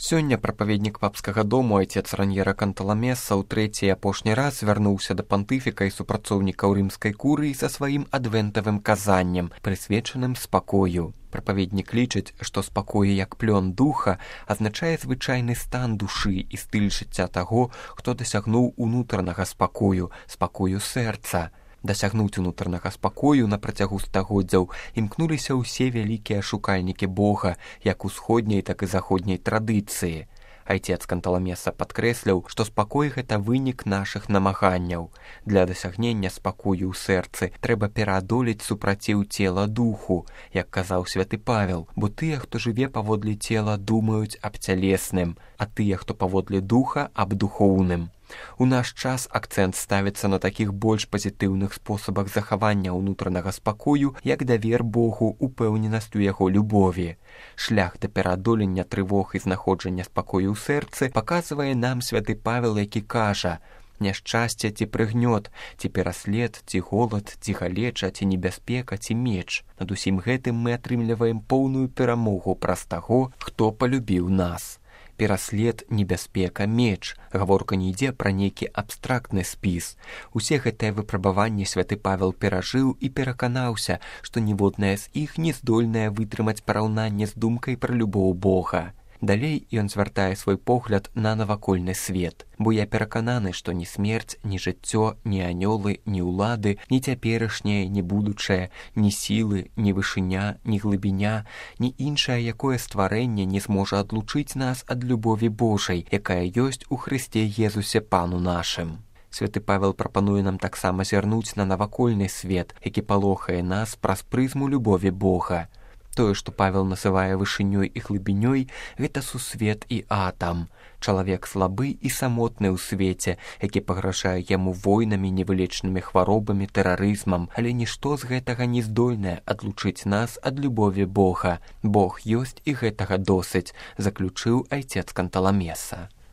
Сёння прапаведнік папскага дому айцец Раньера Канталамеса ў трэці і апошні раз звярнуўся да пантыфіка і супрацоўнікаў рымскай курыі са сваім адвентавым казаннем, прысвечаным спакою. Прапаведнік лічыць, што спакой як плён духа азначае звычайны стан душы і стыль жыцця таго, хто дасягнуў унутранага спакою, спакою сэрца. Дасягнуць унутранага спакою на працягу стагоддзяў імкнуліся ўсе вялікія шукальнікі Бога, як усходняй, так і заходняй традыцыі. Айцец Канталамеса падкрэсліў, што спакой – гэта вынік нашых намаганняў. Для дасягнення спакою ў сэрцы трэба пераадолець супраціў цела духу, як казаў святы Павел, бо тыя, хто жыве паводле цела, думаюць аб цялесным, а тыя, хто паводле духа, аб духоўным. У наш час акцэнт ставіцца на такіх больш пазітыўных спосабах захавання ўнутранага спакою, як давер Богу, упэўненасць у яго любові. Шлях да пераадолення трывог і знаходжання спакою ў сэрцы паказвае нам святы Павел, які кажа: «Няшчасце ці прыгнёт, ці пераслед, ці голад, ці галеча, ці небяспека, ці меч. Над усім гэтым мы атрымліваем поўную перамогу праз таго, хто палюбіў нас». Пераслед, небяспека, меч. Гаворка не ідзе пра нейкі абстрактны спіс. Усе гэтыя выпрабаванні святы Павел перажыў і пераканаўся, што ніводнае з іх не здольнае вытрымаць параўнанне з думкай пра любоў Бога. Далей ён звяртае свой погляд на навакольны свет. «Бо я перакананы, што ні смерць, ні жыццё, ні анёлы, ні ўлады, ні цяперашняе, ні будучае, ні сілы, ні вышыня, ні глыбіня, ні іншае якое стварэнне не зможа адлучыць нас ад любові Божай, якая ёсць у Хрысце Езусе Пану нашым». Святы Павел прапануе нам таксама зірнуць на навакольны свет, які палохае нас праз прызму любові Бога. Тое, што Павел называе вышынёй і глыбінёй, гэта сусвет і атам. Чалавек слабы і самотны ў свеце, які пагражае яму войнамі, невылечнымі хваробамі, тэрарызмам, але нішто з гэтага не здольнае адлучыць нас ад любові Бога. Бог ёсць і гэтага досыць, заключыў айцец Канталамеса.